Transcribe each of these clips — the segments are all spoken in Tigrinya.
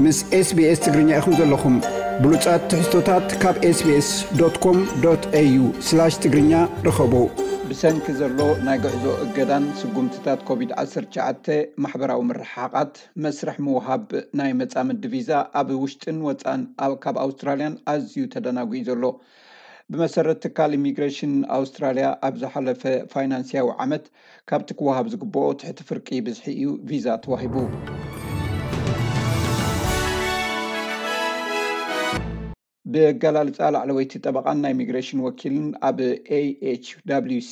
ምስ SBS ትግርኛ ኢኹም ዘለኹም። ብሉጻት ትሕዝቶታት ካብ SBS.com.au/ትግርኛ ርኸቡ። ብሰንኪ ዘሎ ናይ ጉዕዞ እገዳን ስጉምትታት ኮቪድ-19፣ ማሕበራዊ ምርሕሓቓት፣ መስርሕ ምውሃብ ናይ መጻምዲ ቪዛ ኣብ ውሽጥን ወጻን ኣብ- ካብ ኣውስትራልያን ኣዝዩ ተደናጒዩ ዘሎ። ብመሰረት ትካል ኢሚግሬሽን ኣውስትራልያ፣ ኣብ ዝሓለፈ ፋይናንስያዊ ዓመት ካብቲ ክወሃብ ዝግብኦ ትሕቲ ፍርቂ ብዝሒ እዩ ቪዛ ተዋሂቡ። ብኣገላልጻ ላዕለወይቲ ጠበቓን ናይ ኢሚግሬሽን ወኪልን ኣብ AHWC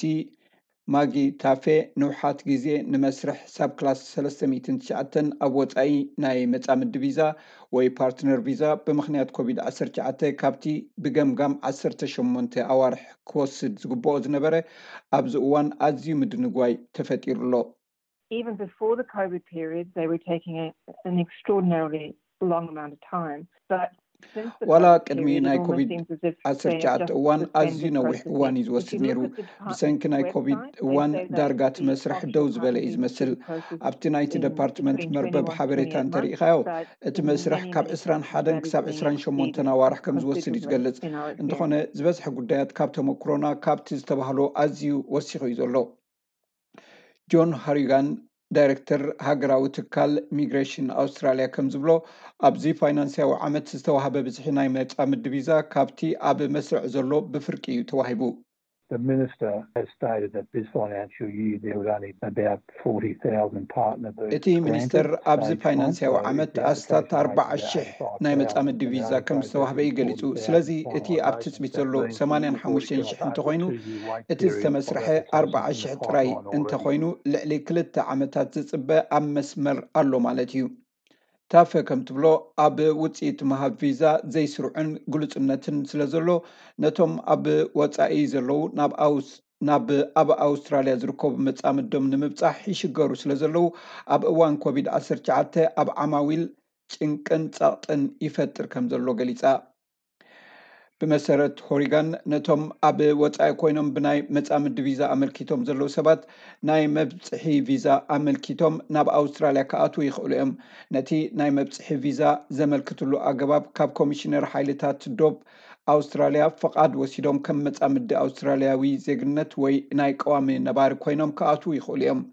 ማጊ ታፌ፣ ንውሓት ግዜ ንመስርሕ ሳብ ክላስ ሰለስተ ሚእትን ትሽዓተን ኣብ ወጻኢ ናይ መጻምዲ ቪዛ ወይ ፓርትነር ቪዛ ብምኽንያት ኮቪድ-19 ካብቲ ብገምጋም ዓሰርተ ሸሞንተ ኣዋርሕ ክወስድ ዝግብኦ ዝነበረ ኣብዚ እዋን ኣዝዩ ምድንጓይ ተፈጢሩ ኣሎ። Even before the COVID period, they were taking a, an extraordinarily long amount of time. But since the ዋላ COVID ቅድሚ period, it ናይ almost ኮቪድ seems as if they have 19 just እዋን suspended ኣዝዩ ነዊሕ processing. እዋን እዩ If ዝወስድ you ነይሩ። look at the department's ብሰንኪ ናይ ኮቪድ website, they እዋን say that ዳርጋ እቲ the መስርሕ actual ደው ዝበለ እዩ processing ዝመስል። took place ኣብቲ ናይቲ in ደፓርትመንት between መርበብ twenty-one to ሓበሬታ twenty-eight እንተሪኢኻዮ፣ months, but እቲ in መስርሕ many, ካብ many 21 cases, ክሳብ that 20 exceeded ኣዋርሕ ከም the ዝወስድ እዩ considerably ዝገልጽ። in our እንተኾነ experience. ዝበዝሐ ጉዳያት ካብ ተመክሮና ካብቲ ዝተባህሎ ኣዝዩ ወሲኹ እዩ ዘሎ። ጆን ሃሪጋን፣ ዳይሬክተር ሃገራዊ ትካል ኢሚግሬሽን ኣውስትራልያ፣ ከም ዝብሎ፣ ኣብዚ ፋይናንስያዊ ዓመት ዝተዋህበ ብዝሒ ናይ መጻምዲ ቪዛ ካብቲ ኣብ መስርዕ ዘሎ ብፍርቂ እዩ ተዋሂቡ። The minister has stated that this financial year there would only about forty thousand partner visas እቲ ሚኒስተር granted. ኣብዚ Stage one, ፋይናንስያዊ so if ዓመት the ኣስታት application rate is ኣርባዓ ሺሕ eighty-five thousand, ናይ መጻምዲ the ቪዛ narrow ከም focus ዝተዋህበ is እዩ ገሊጹ። forty thousand ስለዚ እቲ ኣብ finalised. ትጽቢት That ዘሎ means we ሰማንያን could ሓሙሽተን go ሺሕ over እንተኾይኑ፣ two-year wait እቲ period ዝተመስርሐ for applications in the ኣርባዓ ሺሕ ጥራይ pipeline already. እንተኾይኑ፣ ልዕሊ ክልተ ዓመታት ዝጽበ ኣብ መስመር ኣሎ ማለት እዩ። ታፈ ከም ትብሎ፣ ኣብ ውጽኢት ምሃብ ቪዛ ዘይስሩዕን ግሉጽነትን ስለ ዘሎ፣ ነቶም ኣብ ወጻኢ ዘለዉ ናብ ኣውስ ናብ ኣብ ኣውስትራልያ ዝርከቡ መጻምዶም ንምብጻሕ ይሽገሩ ስለ ዘለዉ፣ ኣብ እዋን ኮቪድ-19 ኣብ ዓማዊል ጭንቅን ጸቕጥን ይፈጥር ከም ዘሎ ገሊጻ። ብመሰረት ሆሪጋን፣ ነቶም ኣብ ወጻኢ ኮይኖም ብናይ መጻምዲ ቪዛ ኣመልኪቶም ዘለዉ ሰባት፣ ናይ መብጽሒ ቪዛ ኣመልኪቶም ናብ ኣውስትራልያ ክኣትዉ ይኽእሉ እዮም። ነቲ ናይ መብጽሒ ቪዛ ዘመልክትሉ ኣገባብ፣ ካብ ኮሚሽነር ሓይልታት ዶብ ኣውስትራልያ ፍቓድ ወሲዶም ከም መጻምዲ ኣውስትራልያዊ ዜግነት ወይ ናይ ቀዋሚ ነባሪ ኮይኖም ክኣትዉ ይኽእሉ እዮም።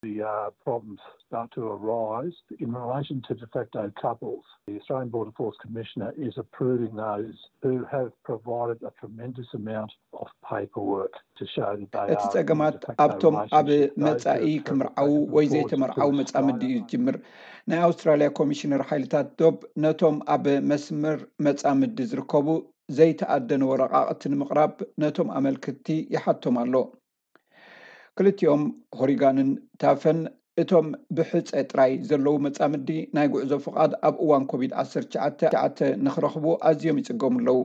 The uh, problems start to arise in relation to de facto couples. The Australian Border Force Commissioner is approving those who have provided a tremendous amount of paperwork to show that they እቲ are in a ጸገማት de facto ኣብቶም ኣብ relationship. Those who መጻኢ have ክምርዓዉ provided ወይ reports ዘይተመርዓዉ to መጻምዲ እዩ Australia. ዝጅምር። ናይ ኣውስትራልያ ኮሚሽነር ሓይልታት ዶብ ነቶም ኣብ መስመር መጻምዲ ዝርከቡ ዘይተኣደነ ወረቓቕቲ ንምቕራብ ነቶም ኣመልክትቲ ይሓቶም ኣሎ። ክልቲኦም፣ ሆሪጋንን ታፈን፣ እቶም ብሕጸ ጥራይ ዘለዉ መጻምዲ ናይ ጉዕዞ ፍቓድ ኣብ እዋን ኮቪድ-19 ንኽረኽቡ ኣዝዮም ይጽገሙ ኣለዉ።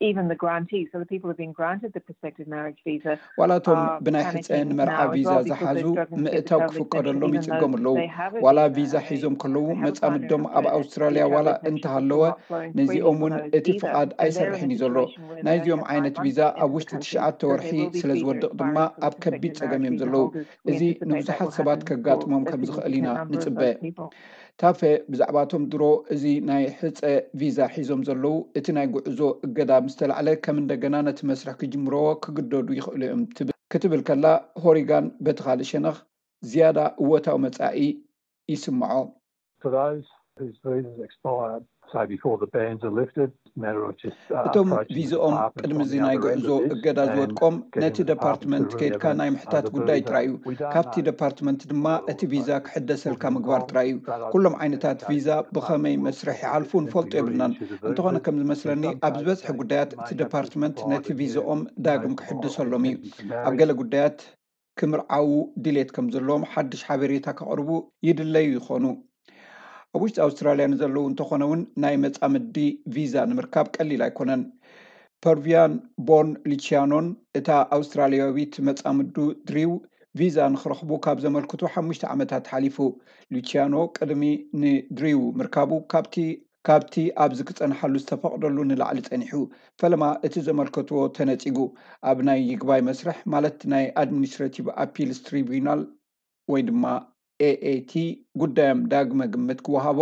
Even the grantees, so the people who've been granted the prospective marriage visa, ዋላ እቶም are ብናይ ሕጸ panicking ንመርዓ now as ቪዛ well because ዝሓዙ they're struggling to get the ምእታው travel exemption, ክፍቀደሎም even though ይጽገሙ ኣለዉ። they have a ዋላ visa ቪዛ and they ሒዞም ከለዉ they have applied መጻምዶም for ኣብ it, ኣውስትራልያ the travel ዋላ exemption is እንተሃለወ፣ still not flowing freely ነዚኦም እውን for those እቲ either. ፍቓድ And they're in ኣይሰርሕን a እዩ ዘሎ። Situation where they ናይዚኦም have five ዓይነት months ቪዛ to enter ኣብ the ውሽጢ country, ትሽዓተ so ወርሒ they will be ስለ visa ዝወድቕ ድማ expiring for ኣብ ከቢድ prospective ጸገም እዮም marriage visa ዘለዉ። holders. We እዚ anticipate that ንብዙሓት will ሰባት happen ከጋጥሞም for a ከም ዝኽእል significant ኢና number of ንጽበ። those people. ታፈ ብዛዕባቶም ድሮ እዚ ናይ ሕጸ ቪዛ ሒዞም ዘለዉ እቲ ናይ ጉዕዞ እገዳ ምስ ተላዕለ ከም እንደገና ነቲ መስርሕ ክጅምርዎ ክግደዱ ይኽእሉ እዮም ትብል ክትብል ከላ፣ ሆሪጋን በቲ ካልእ ሸነኽ ዝያዳ እወታዊ መጻኢ ይስምዖ። For those whose visas expire, say before the bans are lifted, matter of just uh, እቶም approaching the ቪዛኦም department ቅድሚ on እዚ the ናይ other end ጉዕዞ of this እገዳ and ዝወድቆም getting ነቲ the department ደፓርትመንት to ኬድካ re-evidence ናይ ምሕታት under the ጉዳይ visa. ጥራይ እዩ። We don't ካብቲ know ደፓርትመንት ድማ እቲ ቪዛ ክሕደሰልካ ምግባር ጥራይ እዩ። ኩሎም ዓይነታት ቪዛ ብኸመይ መስርሕ ይሓልፉ ንፈልጦ የብልናን። እንተኾነ ከም ዝመስለኒ ኣብ ዝበዝሐ ጉዳያት እቲ ደፓርትመንት ነቲ ቪዛኦም ዳግም ክሕደሰሎም እዩ። ኣብ ገለ ጉዳያት ክምርዓዉ ድሌት ከም ዘለዎም ሓድሽ ሓበሬታ ከቕርቡ ይድለዩ ይኾኑ። ኣብ ውሽጢ ኣውስትራልያ ንዘለዉ እንተኾነ እውን ናይ መጻምዲ ቪዛ ንምርካብ ቀሊል ኣይኮነን። ፐርቪያን ቦን ሉቺያኖን እታ ኣውስትራልያዊት መጻምዱ ድሪው ቪዛ ንኽረኽቡ ካብ ዘመልክቱ ሓሙሽተ ዓመታት ሓሊፉ። ሉቺያኖ ቅድሚ ንድሪው ምርካቡ ካብቲ ካብቲ ኣብዚ ክጸንሓሉ ዝተፈቕደሉ ንላዕሊ ጸኒሑ። ፈለማ እቲ ዘመልከትዎ ተነጺጉ። ኣብ ናይ ይግባይ መስርሕ፣ ማለት ናይ ኣድሚኒስትሬቲቭ ኣፒልስ ትሪቡናል ወይ ድማ ኤኤቲ፣ ጉዳዮም ዳግመ ግምት ክወሃቦ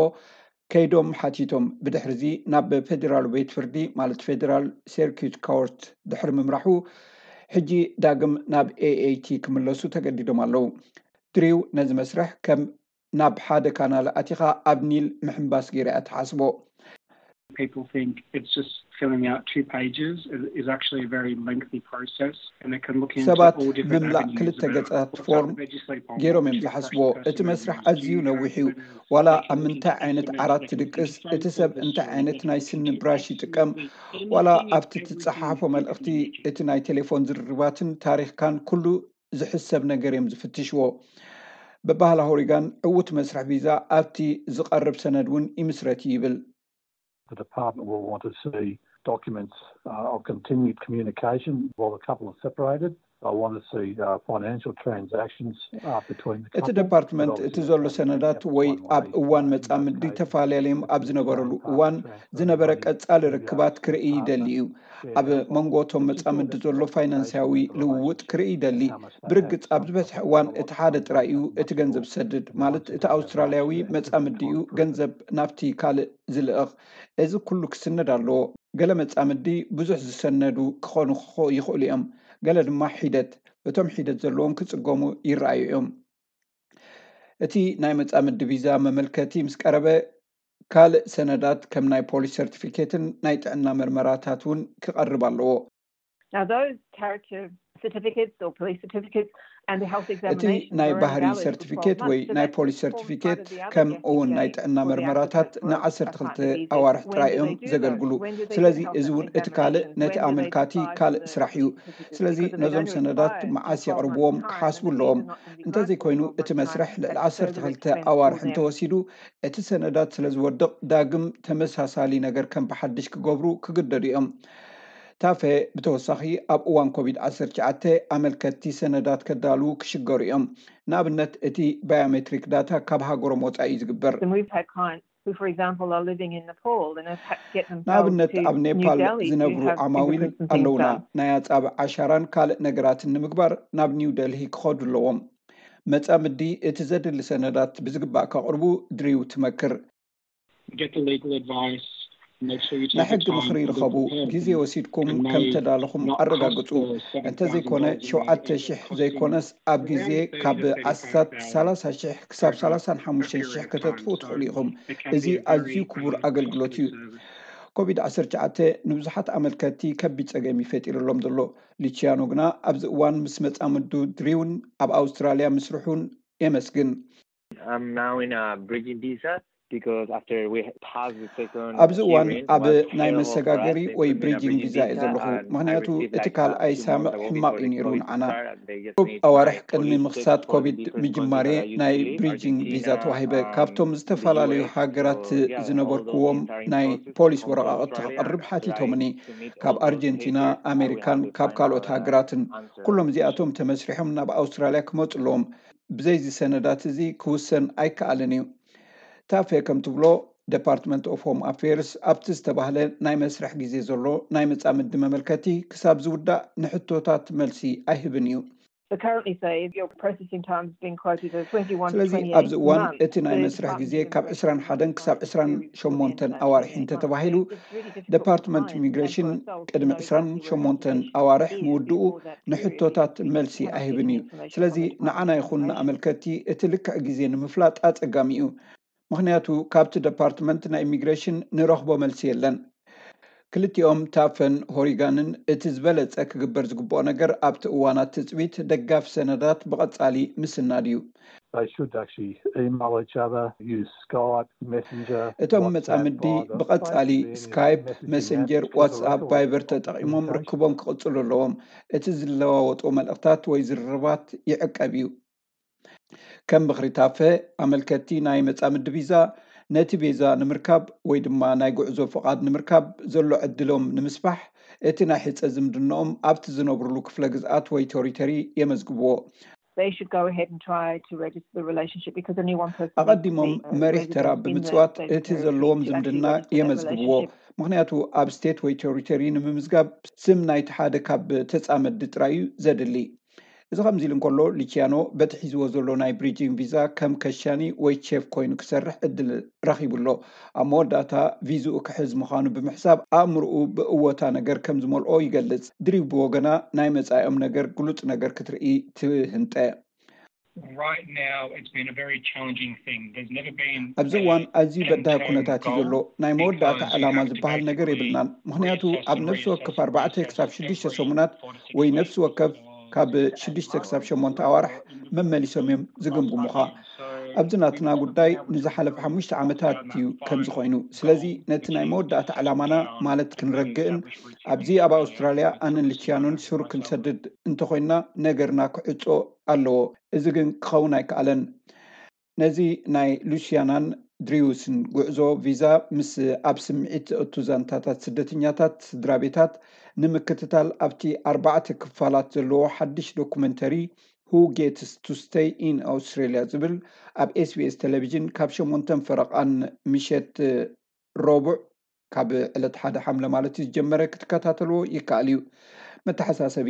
ከይዶም ሓቲቶም። ብድሕርዚ ናብ ፌዴራል ቤት ፍርዲ፣ ማለት ፌዴራል ሰርኪዩት ኮርት ድሕሪ ምምራሑ፣ ሕጂ ዳግም ናብ ኤኤይቲ ክምለሱ ተገዲዶም ኣለዉ። ድሪው ነዚ መስርሕ ከም ናብ ሓደ ካናል ኣቲኻ ኣብ ኒል ምሕምባስ ገይራ እያ ትሓስቦ። People think it's just filling out two pages is actually a very lengthy process, and it can look into ሰባት all different ምምላእ avenues ክልተ about ገጻት what ፎርም type of veggie sleep on ገይሮም what እዮም shift ዝሓስብዎ። person እቲ መስርሕ moves ኣዝዩ to, ነዊሕ እዩ። and ዋላ they can ኣብ ምንታይ look ዓይነት into ዓራት it. ትድቅስ፣ It's a እቲ ሰብ straightforward እንታይ story ዓይነት that ናይ you can ስኒ do ብራሽ absolutely ይጥቀም፣ anything ዋላ and ኣብቲ everything ትጸሓፎ you መልእኽቲ can imagine. እቲ ናይ ቴሌፎን ዝርርባትን ታሪኽካን ኩሉ ዝሕሰብ ነገር እዮም ዝፍትሽዎ። በባህላ ሆሪጋን ዕዉት መስርሕ ቪዛ ኣብቲ ዝቐርብ ሰነድ እውን ይምስረት እዩ ይብል። The department will want to see documents uh, of continued communication while the couple are separated. I want to see uh, financial transactions uh, between the እቲ couple. ደፓርትመንት እቲ ዘሎ ሰነዳት ወይ ኣብ እዋን መጻምዲ ተፈላለዮም ኣብ ዝነበረሉ እዋን ዝነበረ ቀጻሊ ርክባት ክርኢ ይደሊ እዩ። ኣብ መንጎ እቶም መጻምዲ ዘሎ ፋይናንሳዊ ልውውጥ ክርኢ ይደሊ። ብርግጽ ኣብ ዝበዝሕ እዋን እቲ ሓደ ጥራይ እዩ እቲ ገንዘብ ዝሰድድ፣ ማለት እቲ ኣውስትራልያዊ መጻምዲ እዩ ገንዘብ ናብቲ ካልእ ዝልእኽ። እዚ ኩሉ ክስነድ ኣለዎ። ገለ መጻምዲ ብዙሕ ዝሰነዱ ክኾኑ ክኾ- ይኽእሉ እዮም። ገለ ድማ ሒደት፣ እቶም ሒደት ዘለዎም ክጽገሙ ይረኣዩ እዮም። እቲ ናይ መጻምዲ ቪዛ መመልከቲ ምስ ቀረበ፣ ካልእ ሰነዳት ከም ናይ ፖሊስ ሰርቲፊኬትን ናይ ጥዕና መርመራታት እውን ክቐርብ ኣለዎ። Now, those character certificates or police certificates and the health እቲ examination ናይ are ባህሪ invalid for ሰርቲፊኬት twelve ወይ months, so ናይ that ፖሊስ forms ሰርቲፊኬት part of the other ከም እውን ናይ investigation ጥዕና for the መርመራታት applicant for ንዓሰርተ for ክልተ the visa. ኣዋርሕ When ጥራይ do እዮም they do that? ዘገልግሉ። When do they ስለዚ get a health እዚ እውን እቲ ካልእ examination? ነቲ When do they ኣመልካቲ apply for ካልእ the ስራሕ እዩ። certificate? ስለዚ Because they ነዞም only ሰነዳት require መዓስ twelve የቕርብዎም months time, ክሓስቡ and the ኣለዎም። visa not going to be እንተዘይኮይኑ granted for እቲ twelve መስርሕ months. ልዕሊ That's ዓሰርተ further ክልተ expense ኣዋርሕ for them. እንተወሲዱ፣ እቲ ሰነዳት ስለ ዝወድቕ ዳግም ተመሳሳሊ ነገር ከም ብሓድሽ ክገብሩ ክግደዱ እዮም። ታፈ ብተወሳኺ ኣብ እዋን ኮቪድ ዓሰርተ ትሽዓተ ኣመልከትቲ ሰነዳት ከዳልዉ ክሽገሩ እዮም። ንኣብነት እቲ ባዮሜትሪክ ዳታ ካብ ሃገሮም ወፃኢ እዩ ዝግበር። And we've had clients who, for example, are living in Nepal and have had to get ንኣብነት themselves to ኣብ New ኔፓል Delhi to ዝነብሩ have ዓማዊል fingerprints and things ኣለውና። done. ናይ ኣጻብዕ ዓሻራን ካልእ ነገራትን ንምግባር ናብ ኒው ደልሂ ክኸዱ ኣለዎም። መጻምዲ እቲ ዘድሊ ሰነዳት ብዝግባእ ከቕርቡ ድሪው ትመክር። Get the legal advice. Make sure you ናይ take the ሕጊ time ምኽሪ to be ይርኸቡ። prepared. ግዜ ወሲድኩም It may ከም ተዳለኹም not cost ኣረጋግጹ። the seven thousand እንተዘይኮነ dollars a ሸውዓተ year ሽሕ that it costs ዘይኮነስ ኣብ ግዜ ካብ ኣስታት ሰላሳ ሽሕ ክሳብ ሰላሳን ሓሙሽተን ሽሕ ከተጥፍኡ ትኽእሉ ኢኹም። እዚ ኣዝዩ ክቡር ኣገልግሎት እዩ። ኮቪድ ዓሰርተ ትሽዓተ ንብዙሓት ኣመልከትቲ ከቢድ ጸገም እዩ ፈጢሩሎም ዘሎ። ሉቺያኖ ግና ኣብዚ እዋን ምስ መጻምዱ ድሪውን ኣብ ኣውስትራልያ ምስርሑን የመስግን። I'm now in a bridging visa because after we passed the second ኣብዚ እዋን hearing, ኣብ was ናይ hell መሰጋገሪ for us. They ወይ put me in a ብሪጂንግ bridging ቪዛ እየ visa ዘለኹ፣ and I ምክንያቱ received እቲ like ካልኣይ two ሳምዕ months ago ሕማቕ before እዩ the ነይሩ COVID ንዓና። started. They just ሩብ made ኣዋርሕ my ቅድሚ police ምኽሳት check for ኮቪድ the different ምጅማሬ countries that I used ናይ to live, ብሪጂንግ ቪዛ Argentina, ተዋሂበ። um, ካብቶም the ዝተፈላለዩ U S. ሃገራት So, yeah, all those ዝነበርኩዎም entire ናይ process ፖሊስ from ወረቓቕቲ Australia ክቕርብ arrived ሓቲቶምኒ። to meet ካብ all those ኣርጀንቲና፣ papers. Now we have ኣሜሪካን the ካብ ካልኦት final, uh, ሃገራትን። answer. ኩሎም እዚኣቶም ተመስሪሖም ናብ ኣውስትራልያ ክመፁ ኣለዎም። ብዘይዚ ሰነዳት እዚ ክውሰን ኣይከኣልን እዩ። ታፌ ከም ትብሎ፣ ደፓርትመንት ኦፍ ሆም ኣፌርስ ኣብቲ ዝተባህለ ናይ መስርሕ ግዜ ዘሎ ናይ መጻምዲ መመልከቲ ክሳብ ዝውዳእ ንሕቶታት መልሲ ኣይህብን እዩ። So currently, say, if your processing time's been quoted as twenty-one to ስለዚ twenty-eight ኣብዚ እዋን months, እቲ ናይ the መስርሕ Department ግዜ of ካብ Immigration ዕስራን ሓደን might ክሳብ want to ዕስራን do it ሸሞንተን within that ኣዋርሕ twenty-eight months. እንተተባሂሉ፣ It's really difficult to ደፓርትመንት find ኢሚግሬሽን and for ourselves to ቅድሚ know ዕስራን exactly when ሸሞንተን application ኣዋርሕ is ምውድኡ before that period. ንሕቶታት መልሲ Cannot get ኣይህብን any እዩ። information ስለዚ from the Department ንዓና of ይኹን Immigration. ንኣመልከቲ እቲ ልክዕ ግዜ ንምፍላጥ ኣጸጋሚ እዩ። ምኽንያቱ ካብቲ ደፓርትመንት ናይ ኢሚግሬሽን ንረኽቦ መልሲ የለን። ክልቲኦም ታፈን ሆሪጋንን እቲ ዝበለጸ ክግበር ዝግብኦ ነገር ኣብቲ እዋናት ትጽቢት ደጋፊ ሰነዳት ብቐጻሊ ምስናድ እዩ። They should actually email each other, use Skype, Messenger, እቶም WhatsApp መጻምዲ via the ብቐጻሊ convenient ስካይፕ፣ messaging መሰንጀር፣ apps to the ዋትስኣፕ፣ record ቫይበር of ተጠቒሞም communication. ርክቦም ክቕጽሉ ኣለዎም። እቲ ዝለዋወጦ መልእኽታት ወይ ዝርርባት ይዕቀብ እዩ። ከም ምኽሪ ታፈ፣ ኣመልከትቲ ናይ መጻምዲ ቪዛ ነቲ ቪዛ ንምርካብ ወይ ድማ ናይ ጉዕዞ ፍቓድ ንምርካብ ዘሎ ዕድሎም ንምስፋሕ፣ እቲ ናይ ሕጸ ዝምድናኦም ኣብቲ ዝነብሩሉ ክፍለ ግዝኣት ወይ ቴሪቶሪ የመዝግብዎ። They should go ahead and try to register the relationship because only one person needs to ኣቐዲሞም be, uh, መሪሕ ተራ resident in the ብምጽዋት state እቲ territory ዘለዎም to actually ዝምድና register that የመዝግብዎ። relationship. ምኽንያቱ ኣብ ስቴት ወይ ቴሪቶሪ ንምምዝጋብ ስም ናይቲ ሓደ ካብ ተጻመዲ ጥራይ እዩ ዘድሊ። እዚ ከምዚ ኢሉ እንከሎ፣ ሉቺያኖ በቲ ሒዝዎ ዘሎ ናይ ብሪጅን ቪዛ ከም ከሻኒ ወይ ቼፍ ኮይኑ ክሰርሕ ዕድል ረኺቡ ኣሎ። ኣብ መወዳእታ ቪዝኡ ክሕዝ ምዃኑ ብምሕሳብ፣ ኣእምሮኡ ብእወታ ነገር ከም ዝመልኦ ይገልጽ። ድሪው ብወገና፣ ናይ መጻኢኦም ነገር ግሉጽ ነገር ክትርኢ ትህንጠ። Right now, it's been a very challenging thing. There's never been ኣብዚ እዋን ኣዝዩ በዳሂ ኩነታት እዩ ዘሎ። ናይ መወዳእታ ዕላማ ዝበሃል ነገር የብልናን። ምኽንያቱ ኣብ ነፍሲ ወከፍ ኣርባዕተ ክሳብ ሽዱሽተ ሰሙናት ወይ ነፍሲ ወከፍ ካብ ሽዱሽተ ክሳብ ሸሞንተ ኣዋርሕ መመሊሶም እዮም ዝግምግሙኻ። ኣብዚ ናትና ጉዳይ ንዝሓለፈ ሓሙሽተ ዓመታት እዩ ከምዚ ኮይኑ። ስለዚ ነቲ ናይ መወዳእታ ዕላማና ማለት ክንረግእን ኣብዚ ኣብ ኣውስትራልያ ኣነን ሉቺያኖን ሱር ክንሰድድ እንተኾይንና ነገርና ክዕጾ ኣለዎ። እዚ ግን ክኸውን ኣይከኣለን። ነዚ ናይ ሉሲያናን ድሪውስን ጉዕዞ ቪዛ ምስ ኣብ ስምዒት ዘእቱ ዛንታታት ስደተኛታት ስድራ ቤታት ንምክትታል ኣብቲ ኣርባዕተ ክፋላት ዘለዎ ሓድሽ ዶኩመንተሪ Who Gets to Stay in Australia ዝብል ኣብ ኤስቢኤስ ቴሌቪዥን ካብ ሸሞንተን ፈረቓን ምሸት ረቡዕ ካብ ዕለት ሓደ ሓምለ ማለት እዩ ዝጀመረ ክትከታተልዎ ይከኣል እዩ። መተሓሳሰቢ፣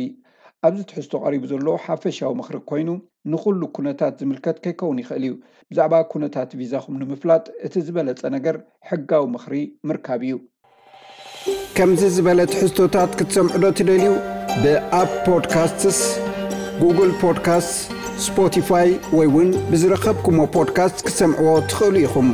ኣብዚ ትሕዝቶ ቀሪቡ ዘሎ ሓፈሻዊ ምኽሪ ኮይኑ ንኹሉ ኩነታት ዝምልከት ከይከውን ይኽእል እዩ። ብዛዕባ ኩነታት ቪዛኹም ንምፍላጥ እቲ ዝበለጸ ነገር ሕጋዊ ምኽሪ ምርካብ እዩ። ከምዚ ዝበለ ትሕዝቶታት ክትሰምዑ ዶ ትደልዩ? ብኣፕ ፖድካስትስ፣ ጉግል ፖድካስት፣ ስፖቲፋይ ወይ እውን ብዝረኸብኩሞ ፖድካስት ክትሰምዕዎ ትኽእሉ ኢኹም።